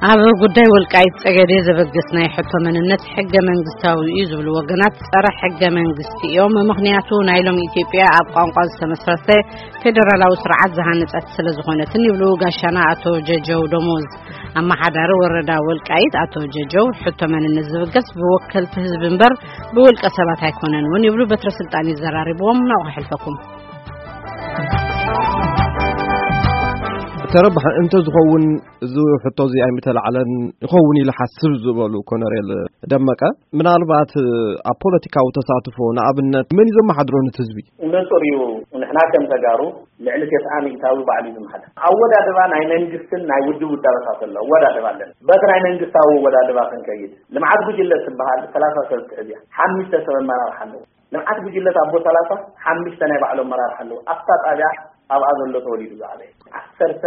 ኣብ ጉዳይ ወልቃይት ጸገዴ ዘበገስ ናይ ሕቶ መንነት ሕገ መንግስታዊ እዩ ዝብሉ ወገናት ጸረ ሕገ መንግስቲ እዮም። ምኽንያቱ ናይ ሎሚ ኢትዮጵያ ኣብ ቋንቋ ዝተመስረተ ፌደራላዊ ስርዓት ዝሃነጸት ስለ ዝኾነትን ይብሉ ጋሻና ኣቶ ጀጀው ደሞዝ። ኣመሓዳሪ ወረዳ ወልቃይት ኣቶ ጀጀው ሕቶ መንነት ዝብገስ ብወከልቲ ህዝቢ እምበር ብውልቀ ሰባት ኣይኮነን እውን ይብሉ። በትረ ስልጣን ይዘራርብዎም ናው ክሕልፈኩም። ተረባሕ እንተ ዝኸውን እዚ ሕቶ እዚ ኣይምተላዕለን ይኸውን ኢለ ሓስብ ዝበሉ ኮነሬል ደመቀ፣ ምናልባት ኣብ ፖለቲካዊ ተሳትፎ ንኣብነት መን እዩ ዘመሓድሮ ነቲ ህዝቢ? ንጹር እዩ። ንሕና ከም ተጋሩ ልዕሊ ተስዓ ሚእታዊ ባዕሉ እዩ ዝመሓደር። ኣወዳድባ ናይ መንግስትን ናይ ውድብ ውዳበታት ኣሎ። ኣወዳድባ ኣለና። በቲ ናይ መንግስታዊ ኣወዳድባ ክንከይድ፣ ልምዓት ጉጅለ ትበሃል ሰላሳ ሰብ ትሕዝ እያ። ሓሙሽተ ሰብ ኣመራርሓ ኣለዎ። ልምዓት ጉጅለ ኣቦ ሰላሳ ሓሙሽተ ናይ ባዕሉ ኣመራርሓ ኣለዎ። ኣብታ ጣብያ ኣብኣ ዘሎ ተወሊዱ ዝዓበየ ዓሰርተ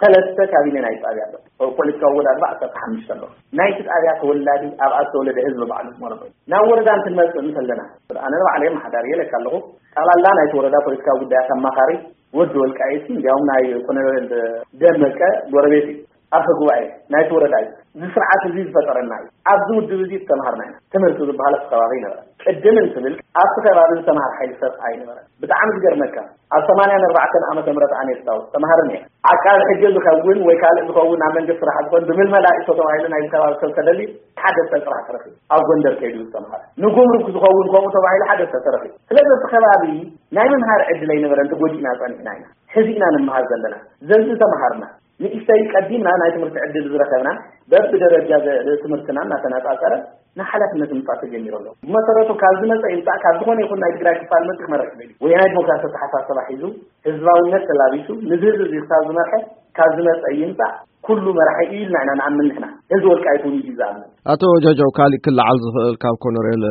ሰለስተ ካቢነ ናይ ጣብያ ኣሎ። ፖለቲካዊ ኣወዳድባ ዓሰርተ ሓሙሽተ ኣሎ። ናይቲ ጣብያ ተወላዲ ኣብኣ ዝተወለደ ህዝቢ ባዕሉ ዝመረጦ እዩ። ናብ ወረዳ እንትንመጽእ እንተለና፣ ኣነ ንባዕለይ ኣመሓዳሪ እየ ኢለካ ኣለኹ። ጠቕላላ ናይቲ ወረዳ ፖለቲካዊ ጉዳያት ኣማኻሪ ወዲ ወልቃይት፣ እንዲያውም ናይ ኮሎኔል ደመቀ ጎረቤት እዩ። ኣፈ ጉባኤ ናይቲ ወረዳ እዩ። እዚ ስርዓት እዚ ዝፈጠረና እዩ። ኣብዚ ውድብ እዚ ዝተምሃርና ኢና። ትምህርቲ ዝበሃል ኣብቲ ከባቢ ይነበረ። ቅድም እንትብል ኣብቲ ከባቢ ዝተምሃር ሓይሊ ሰብ ኣይነበረን። ብጣዕሚ ዝገርመካ፣ ኣብ ሰማንያን ኣርባዕተን ዓመተ ምህረት ኣነ የስታውስ፣ ተምሃርን እየ። ዓቃቢ ሕጊ ዝኸውን ወይ ካልእ ዝኸውን ኣብ መንግስቲ ስራሕ ዝኸውን ብምልመላ እቶ ተባሂሉ ናይዚ ከባቢ ሰብ ተደልዩ ሓደ ሰብ ጥራሕ ተረኺቡ። ኣብ ጎንደር ከይዱ ዝተምሃረ። ንጉምሩክ ዝኸውን ከምኡ ተባሂሉ ሓደ ሰብ ተረኺቡ። ስለዚ እቲ ከባቢ ናይ ምምሃር ዕድል ኣይነበረን፣ ተጎዲእና ጸኒሕና ኢና። ሕዚ ኢና ንምሃር ዘለና። ዘዚ ተምሃርና። ንእሽተይ ቀዲምና ናይ ትምህርቲ ዕድል ዝረኸብና በብደረጃ ዘ- ትምህርትና እናተነጻጸረ ንሓላፍነት ምምጻእ ተጀሚሩ ኣሎ። ብመሰረቱ ካብ ዝመጸ ይምጻእ ካብ ዝኾነ ይኹን ናይ ትግራይ ክፋል መጺእ ክመርሕ ይኽእል እዩ። ወያናይ ዲሞክራሲ ኣተሓሳስባ ሒዙ ህዝባውነት ተላቢሱ ንዚ ህዝቢ እዚ ክሳብ ዝመርሐ ካብ ዝመጸ ይምጻእ ኩሉ መራሒ እዩ ኢልና ኢና ንኣምን ንሕና። ህዝቢ ወልቃይት እውን እዩ ዝኣምን። ኣቶ ጃጃው ካሊእ ክለዓል ዝኽእል ካብ ኮነሬል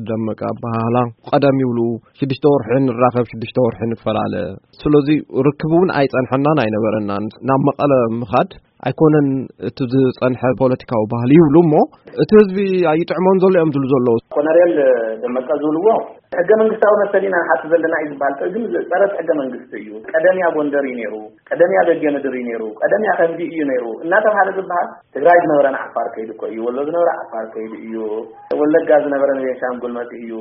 ደመቀ ኣበሃህላ ቀደም ይብሉ ሽዱሽተ ወርሒ ንራኸብ ሽዱሽተ ወርሒ ንፈላለ። ስለዚ ርክብ እውን ኣይጸንሐናን ኣይነበረናን። ናብ መቐለ ምኻድ ኣይኮነን እቲ ዝጸንሐ ፖለቲካዊ ባህሊ ይብሉ እሞ እቲ ህዝቢ ኣይጥዕሞን ዘሎ እዮም ዝብሉ ዘለዉ። ኮነሬል ደመቀ ዝብልዎ ሕገ መንግስታዊ መሰል ኢና ንሓት ዘለና እዩ ዝበሃል። ግን ጸረ ሕገ መንግስቲ እዩ። ቀደም እያ ጎንደር እዩ ነይሩ፣ ቀደም እያ በጌ ምድር እዩ ነይሩ፣ ቀደም እያ ከምዚ እዩ ነይሩ እናተባሃለ ዝበሃል ትግራይ ዝነበረ ንዓፋር ከይዱ እኮ እዩ። ወሎ ዝነበረ ዓፋር ከይዱ እዩ። ወለጋ ዝነበረ ንቤንሻንጉል መፂኡ እዩ።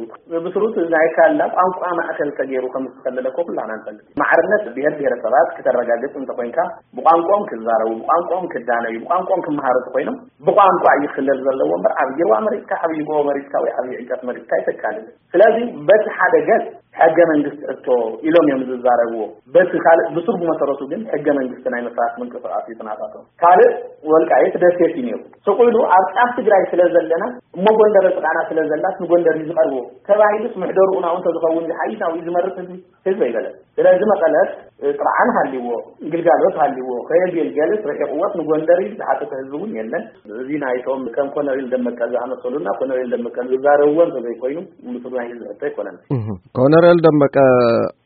ብስሩት ናይ ካላ ቋንቋ ማእከል ተገይሩ ከም ዝተኸለለ እኮ ኩላና ንፈልጥ። ማዕርነት ብሄር ብሄረሰባት ክተረጋግፅ እንተኮይንካ ብቋንቋኦም ክዛረቡ፣ ብቋንቋኦም ክዳነዩ፣ ብቋንቋኦም ክመሃሩ እንተኮይኖም ብቋንቋ እዩ ክልል ዘለዎ እምበር ዓብዪ ሩባ መሪፅካ፣ ዓብዪ ጎቦ መሪፅካ ወይ ዓብዪ ዕንጨት መሪፅካ ኣይተካልን። ስለዚ በቲ ሓደ ገፅ ሕገ መንግስቲ ሕቶ ኢሎም እዮም ዝዛረብዎ። በቲ ካልእ ብሱር ብመሰረቱ ግን ሕገ መንግስቲ ናይ ምፍራስ ምንቅስቃስ እዩ ትናታቶም። ካልእ ወልቃይት ደሴት እዩ ነይሩ። ስቕ ኢሉ ኣብ ጫፍ ትግራይ ስለ ዘለና እሞ ጎንደር ጥቃና ስለ ዘላስ ንጎንደር እዩ ዝቐርቦ ተባሂሉስ ምሕደርኡ ናብኡ እንተዝኸውን ዝሓይሽ ናብኡ እዩ ዝመርፅ ህዝቢ ህዝቢ ኣይበለን። ስለዚ መቐለስ ጥርዓን ሃልይዎ ግልጋሎት ሃልይዎ ከየገልገልስ ርሒቕዎስ ንጎንደር እዩ ዝሓተተ ህዝቢ እውን የለን። እዚ ናይቶም ከም ኮነሪል ደመቀ ዝኣመሰሉና ኮነሪል ደመቀ ዝዛረብዎ እንተዘይኮይኑ ምስሉ ናይ ህዝቢ ሕቶ ኣይኮነን። ኮነሬል ደመቀ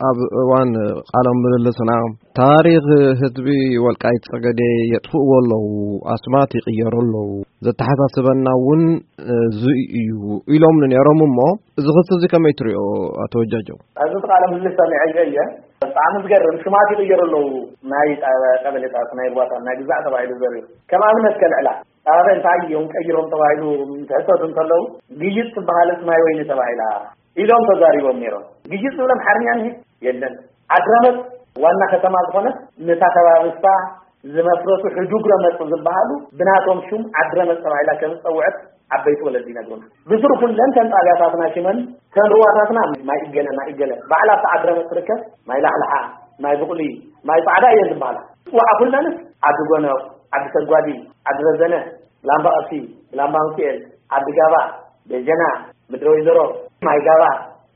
ኣብ እዋን ቃለ ምልልስና ታሪኽ ህዝቢ ወልቃይት ጸገዴ የጥፍእዎ ኣለዉ፣ ኣስማት ይቕየሩ ኣለዉ፣ ዘተሓሳስበና እውን እዚ እዩ ኢሎም ነይሮም። እሞ እዚ ክሲ እዚ ከመይ ትሪኦ ኣቶ ወጃጀው? ኣብዚ ቃለ ምልልስ ሰሚዐዮ እየ። ብጣዕሚ ዝገርም ሽማት ይቕየሩ ኣለዉ። ናይ ቀበሌታት ናይ ሩባታት ናይ ግዛዕ ተባሂሉ ዘርዩ ከም ኣብነት ከልዕላ ኣበ እንታይ እዮም ቀይሮም ተባሂሉ ትሕተቱ እንተለዉ ግይፅ ትበሃለስ ማይ ወይኒ ተባሂላ ኢሎም ተዛሪቦም ነይሮም። ግይፅ ዝብል ኣምሓርኛ እንሄ የለን። ዓድረመፅ ዋና ከተማ ዝኾነት ነታ ከባቢ ንሳ ዝመስረቱ ሕዱግ ረመፅ ዝበሃሉ ብናቶም ሹም ዓድረመፅ ተባሂላ ከም ዝፀውዐት ዓበይቲ ወለዲ ይነግሩና። ብስሩ ኩለን ተን ጣብያታትና ሽመን ተን ሩዋታትና ማይ እገለ ማይ እገለ ባዕላ ኣብታ ዓድረመፅ ትርከብ ማይ ላሕልሓ ማይ ብቑሊ ማይ ፃዕዳ እየን ዝበሃላ። ፅዋዓ ኩለንስ ዓዲ ጎነቕ ዓዲ ሰጓዲ ዓዲ ረዘነ ላምባ ቀሲ ላምባ ሚካኤል ዓዲ ጋባ ደጀና ምድረ ወይዘሮ ማይ ጋባ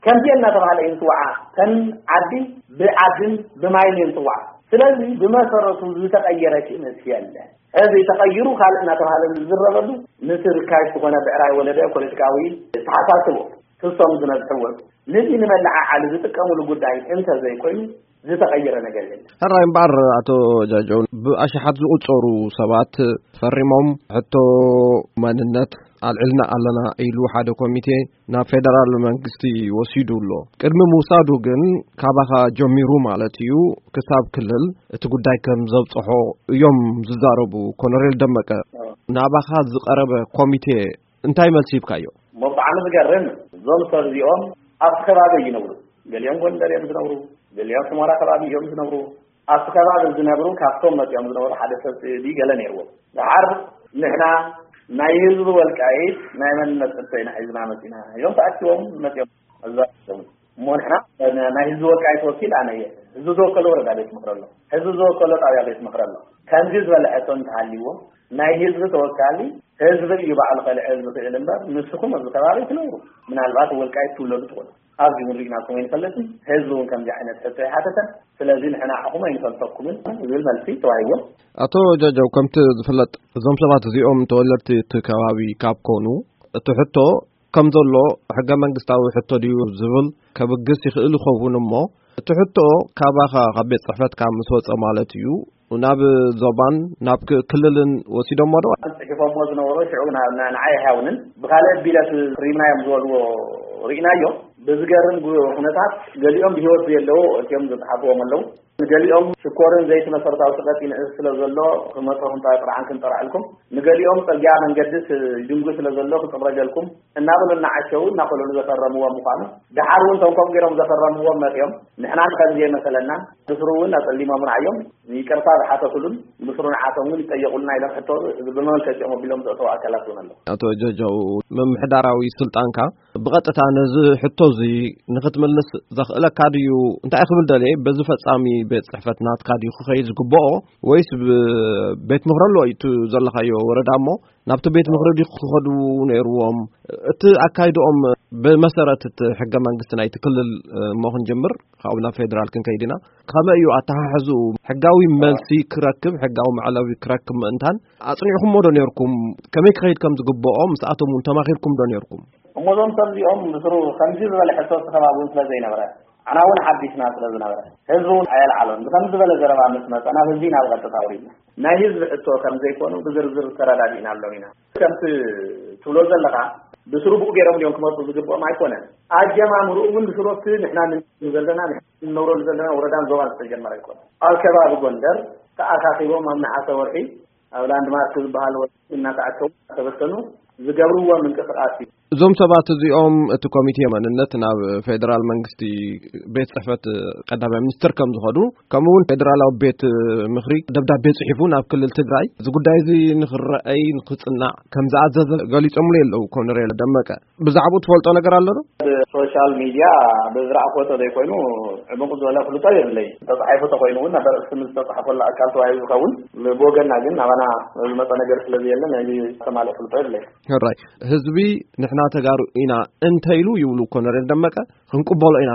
ከምዚኤን እናተባሃለ እዩ ዝፅዋዓ። ተን ዓዲ ብዓድን ብማይን እየን ዝፅዋዓ። ስለዚ ብመሰረቱ ዝተቐየረ ክእነት የለ። እዚ ተቐይሩ ካልእ እናተባሃለ ዝዝረበሉ ምስቲ ርካሽ ዝኾነ ብዕራይ ወለደ ፖለቲካዊ ተሓሳስቦ ክሶም ዝነዝሕዎ ነዚ ንመለዓዓሊ ዝጥቀምሉ ጉዳይ እንተዘይኮይኑ ዝተቐየረ ነገር የለን። ሕራይ እምበኣር ኣቶ ጃጀው ብኣሽሓት ዝቑጸሩ ሰባት ፈሪሞም ሕቶ መንነት ኣልዕልና ኣለና ኢሉ ሓደ ኮሚቴ ናብ ፌደራል መንግስቲ ወሲዱ ኣሎ። ቅድሚ ምውሳዱ ግን ካባኻ ጀሚሩ ማለት እዩ ክሳብ ክልል እቲ ጉዳይ ከም ዘብጽሖ እዮም ዝዛረቡ ኮነሬል ደመቀ። ናባኻ ዝቐረበ ኮሚቴ እንታይ መልሲ ሂብካዮ? እሞ ብጣዕሚ ዝገርም፣ እዞም ሰብ እዚኦም ኣብቲ ከባቢ ይነብሩ። ገሊኦም ጎንደር እዮም ዝነብሩ፣ ገሊኦም ሑመራ ከባቢ እዮም ዝነብሩ። ኣብቲ ከባቢ ዝነብሩ ካብቶም መፂኦም ዝነበሩ ሓደ ሰብ ድዩ ገለ ነይርዎ። ደሓር ንሕና ናይ ህዝቢ ወልቃይት ናይ መንነት ሕቶ ኢና ሒዝና መፂና ኢሎም ተኣኪቦም መፂኦም። እዛ እሞ ንሕና ናይ ህዝቢ ወልቃይት ወኪል ኣነ እየ። ህዝቢ ዝወከሎ ወረዳ ቤት ምኽሪ ኣሎ፣ ህዝቢ ዝወከሎ ጣብያ ቤት ምኽሪ ኣሎ። ከምዚ ዝበለ ሕቶ እንተሃልይዎ ናይ ህዝቢ ተወካሊ ህዝቢ እዩ ባዕሉ ከልዕል ዝኽእል እምበር ንስኹም ኣብዚ ከባቢ ትነብሩ ምናልባት ወልቃይት ትውለዱ ትኾኑ። ኣብዚ እውን ርኢናኩም ኣይንፈልጥን። ህዝቢ እውን ከምዚ ዓይነት ሕቶ ይሓተተን። ስለዚ ንሕና ንዓኹም ኣይንፈልጠኩምን ዝብል መልሲ ተዋሂቦም። ኣቶ ጀጀው፣ ከምቲ ዝፍለጥ እዞም ሰባት እዚኦም ተወለድቲ እቲ ከባቢ ካብ ኮኑ እቲ ሕቶ ከም ዘሎ ሕገ መንግስታዊ ሕቶ ድዩ ዝብል ከብግስ ይኽእል ይኸውን እሞ እቲ ሕቶ ካባኻ ካብ ቤት ጽሕፈትካ ምስ ወጸ ማለት እዩ ናብ ዞባን ናብ ክ- ክልልን ወሲዶሞ ዶ? ጽሒፎሞ ዝነበሩ ሽዑ ና- ና- ንዓይ ኣይሃውንን ብኻልእ ቢለት ክሪምናዮም ዝበልዎ ርኢናዮ። ብዝገርም ጉ- ኩነታት ገሊኦም ብህይወት ዘየለዉ እቲኦም ዝጽሓፍዎም ኣለዉ። ንገሊኦም ሽኮርን ዘይቲ መሰረታዊ ሸቐጥ ይንእስ ስለ ዘሎ ክመጾ ክንጠ- ጥርዓን ክንጠርዐልኩም፣ ንገሊኦም ጽርግያ መንገድስ ይድንጉ ስለ ዘሎ ክጽረገልኩም እናበሉ እናዓሸዉ እናኾለሉ ዘፈረምዎም ምዃኑ፣ ደሓር እውን እቶም ከምኡ ገይሮም ዘፈረምዎም መጺኦም ንሕና ንኸምዚ የመሰለና ብስሩ እውን ኣጸሊሞም ረኣዮም ይቅርታ ዝሓተቱሉን ምስሩ ንዓቶም እውን ይጠየቁልና ኢሎም ሕቶ ብመመልከቲኦም ኣቢሎም ዘእተው ኣካላት እውን ኣለዉ። ኣቶ ጀጀው፣ ምምሕዳራዊ ስልጣንካ ብቐጥታ ነዚ ሕቶ እዚ ንኽትምልስ ዘኽእለካ ድዩ? እንታይ ክብል ደልየ፣ በዚ ፈጻሚ ቤት ጽሕፈት ናትካ ድዩ ክኸይድ ዝግብኦ ወይስ ብ- ቤት ምኽሪ ኣሎ እቲ ዘለኻዮ ወረዳ እሞ ናብቲ ቤት ምኽሪ ድዩ ክኸዱ ነይርዎም? እቲ ኣካይድኦም ብመሰረት እቲ ሕገ መንግስቲ ናይቲ ክልል እሞ ክንጅምር ካብኡ ናብ ፌደራል ክንከይድ ኢና። ከመይ እዩ ኣተሓሕዝኡ? ሕጋዊ መልሲ ክረክብ፣ ሕጋዊ መዕለቢ ክረክብ ምእንታን ኣጽኒዕኩሞ ዶ ነርኩም? ከመይ ክኸይድ ከም ዝግብኦ ምስኣቶም እውን ተማኺርኩም ዶ ነርኩም? እሞ እዞም ሰብ እዚኦም ብስሩ ከምዚ ዝበለ ሕቶ እቲ ከባቢ እውን ስለ ዘይነበረ፣ ኣና እውን ሓዲስና ስለ ዝነበረ፣ ህዝቢ እውን ኣየልዓሎን። ብከምዚ ዝበለ ዘረባ ምስ መጸና፣ ህዝቢ ኢና ብቐጥታ ኣውሪድና። ናይ ህዝቢ ሕቶ ከም ዘይኮኑ ብዝርዝር ተረዳዲእናሎም ኢና። ከምቲ ትብሎ ዘለኻ፣ ብስሩ ብኡ ገይሮም ድዮም ክመጹ ዝግብኦም ኣይኮነን። ኣጀማምርኡ እውን ብስሩ ኣብቲ ንሕና ንነብረሉ ዘለና፣ ንሕና ንነብረሉ ዘለና ወረዳን ዞባን ዝተጀመረ ኣይኮነን። ኣብ ከባቢ ጎንደር ተኣኻኺቦም ኣብ ነሓሰ ወርሒ ኣብ ላንድማርክ ዝበሃል ወርሒ እናተኣከቡ እናተበተኑ ዝገብርዎ ምንቅስቓስ እዩ። እዞም ሰባት እዚኦም እቲ ኮሚቴ መንነት ናብ ፌደራል መንግስቲ ቤት ጽሕፈት ቀዳማይ ሚኒስትር ከም ዝኸዱ ከምኡ እውን ፌደራላዊ ቤት ምኽሪ ደብዳቤ ጽሒፉ ናብ ክልል ትግራይ እዚ ጉዳይ እዚ ንኽረኣይ ንኽጽናዕ ከም ዝኣዘዘ ገሊጾምሉ የለዉ። ኮነሬል ደመቀ ብዛዕባኡ ትፈልጦ ነገር ኣሎ ዶ? ብሶሻል ሚድያ ብዝረኣኽዎ ተዘይኮይኑ ዕሙቕ ዝበለ ፍልጦ የብለይ። ተጻሒፉ ተኾይኑ እውን ናብ ኣርእስቲ ምስ ዝተጻሕፈሉ ኣካል ተዋሂቡ ዝኸውን፣ ብወገንና ግን ናባና ዝመጸ ነገር ስለ ዘየለ ናይዚ ዝተማልኦ ፍልጦ የብለይ። ሕራይ ህዝቢ ንሕና ተጋሩ ኢና እንተኢሉ ይብሉ ኮነሬል ደመቀ ክንቅበሎ ኢና፣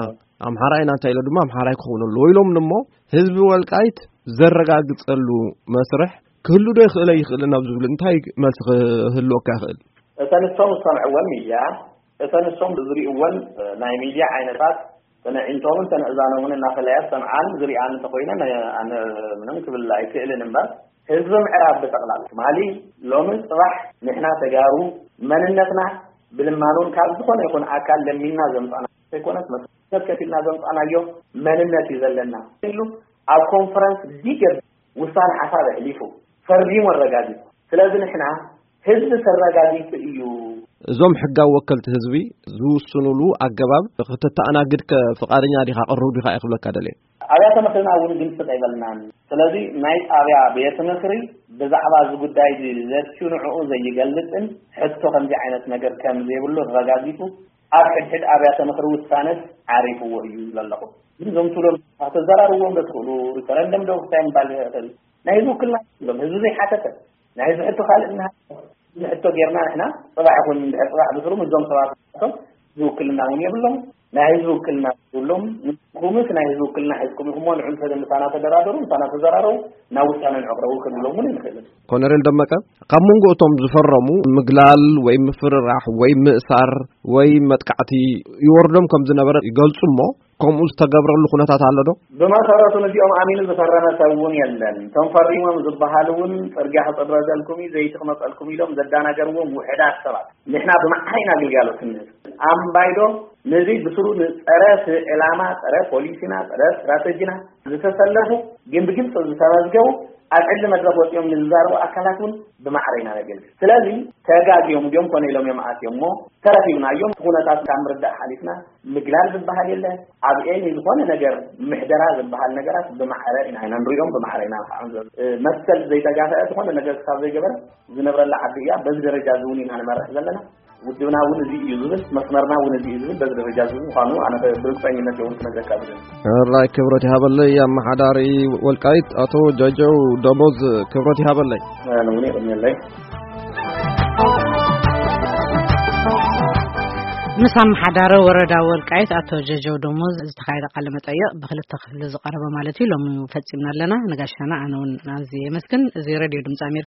ኣምሓራ ኢና እንተኢሉ ድማ ኣምሓራይ ክኸውን ኣለዎ ኢሎም እሞ ህዝቢ ወልቃይት ዘረጋግጸሉ መስርሕ ክህሉ ዶ ይኽእል ኣይኽእልን ኣብ ዝብል እንታይ መልሲ ክህልወካ ይኽእል? እተን እቶም ዝሰምዕወን ሚድያ እተን እሶም ዝሪእወን ናይ ሚድያ ዓይነታት ተነዒንቶምን ተነእዛኖምን እናፈለያ ዝሰምዓን ዝሪኣን እንተኾይነን ኣነ ምንም ክብል ኣይክእልን እምበር ህዝቢ ምዕራብ ብጠቕላላ ትማሊ ሎምን ፅባሕ ንሕና ተጋሩ መንነትና ብልማኖን ካብ ዝኾነ ይኹን ኣካል ለሚንና ዘምፃና ዘይኮነስ መስዋእትነት ከፊልና ዘምፃናዮ መንነት እዩ ዘለና ኢሉ ኣብ ኮንፈረንስ ቢግ ውሳነ ሓሳብ ኣሕሊፉ ፈሪሙ ኣረጋጊፁ። ስለዚ ንሕና ህዝቢ ተረጋጊፁ እዩ። እዞም ሕጋዊ ወከልቲ ህዝቢ ዝውስኑሉ ኣገባብ ክትተኣናግድ ከ ፍቓደኛ ዲኻ ቅሩብ ዲኻ እየ ክብለካ ደልየ። ኣብያተ ምኽርና እውን ግምስጥ ኣይበልናን። ስለዚ ናይ ጣብያ ቤት ምኽሪ ብዛዕባ እዚ ጉዳይ እዚ ዘትዩ ንዕኡ ዘይገልፅን ሕቶ ከምዚ ዓይነት ነገር ከም ዘይብሉ ኣረጋጊፁ ኣብ ሕድሕድ ኣብያተ ምኽሪ ውሳነስ ዓሪፍዎ እዩ ዘለኹ። ግን እዞም ትብሎም ተዘራርብዎም ዶ ትኽእሉ ሪፈረንደም ዶ ክታይ ምባል ይኽእል ናይ ህዝቢ ውክልና ሎም ህዝቢ ዘይሓተተ ናይ ህዝቢ ሕቶ ካልእ እና ህዝቢ ሕቶ ጌርና ንሕና ፅባሕ ይኹን እንድሕር ፅባሕ ብስሩ ምስዞም ሰባት ሕቶም ዝውክልና እውን የብሎም ናይ ህዝቢ ውክልና ዝብሎም ንኩምስ ናይ ህዝቢ ውክልና ሒዝኩም ኢኹሞ ንዑ ምሳና ተደራደሩ ምሳና ተዘራረቡ ናብ ውሳነ ንዕቕረቡ ክንብሎም እውን ኣይንኽእልን። ኮነሬል ደመቀ ካብ መንጎ እቶም ዝፈረሙ ምግላል ወይ ምፍርራሕ ወይ ምእሳር ወይ መጥቃዕቲ ይወርዶም ከም ዝነበረ ይገልጹ እሞ ከምኡ ዝተገብረሉ ኩነታት ኣሎ ዶ? ብመሰረቱ ነዚኦም ኣሚኑ ዝፈረመ ሰብ እውን የለን። እቶም ፈሪሞም ዝበሃሉ እውን ፅርግያ ክፅረገልኩም እዩ ዘይቲ ክመፀልኩም ኢሎም ዘዳናገርዎም ውሕዳት ሰባት ንሕና ብማዕረ ኢና ግልጋሎት እንህብ። ኣምባይዶ ነዚ ብስሩ ንጸረ ዕላማ፣ ጸረ ፖሊሲና፣ ጸረ ስትራተጂና ዝተሰለፉ ግን ብግልፂ ዝተመዝገቡ ኣብ ዕሊ መድረክ ወፂኦም ንዝዛረቡ ኣካላት እውን ብማዕረ ኢና ነገልግል። ስለዚ ተጋግዮም ድዮም ኮነ ኢሎም እዮም ኣትዮም እሞ ተረኪብናዮም። እቲ ኩነታት ካብ ምርዳእ ሓሊፍና ምግላል ዝበሃል የለ። ኣብ ኤኒ ዝኾነ ነገር ምሕደራ ዝበሃል ነገራት ብማዕረ ኢና ኢና ንሪኦም፣ ብማዕረ ኢና ንኸዓም። መሰል ዘይተጋፈአ ዝኾነ ነገር ክሳብ ዘይገበረ ዝነብረላ ዓዲ እያ። በዚ ደረጃ እዚ እውን ኢና ንመርሕ ዘለና። ውድብና እውን እዚ እዩ ዝብል፣ መስመርና እውን እዚ እዩ ዝብል፣ በዚ ደረጃ እዚ ምዃኑ ኣነ ብርግፀኝነት እውን ክነግረካ ዝብል። ሕራይ ክብረት ይሃበለይ ኣመሓዳሪ ወልቃይት ኣቶ ጀጀው ደሞዝ፣ ክብረት ይሃበለይ። ኣነ እውን የቐንየለይ። ምስ ኣመሓዳሪ ወረዳ ወልቃይት ኣቶ ጀጀው ደሞዝ ዝተኻየደ ቃለ መጠይቕ ብክልተ ክፍሊ ዝቐረበ ማለት እዩ። ሎሚ ፈፂምና ኣለና። ንጋሻና ኣነ እውን ኣዝየ የመስግን። እዚ ሬድዮ ድምፂ ኣሜሪካ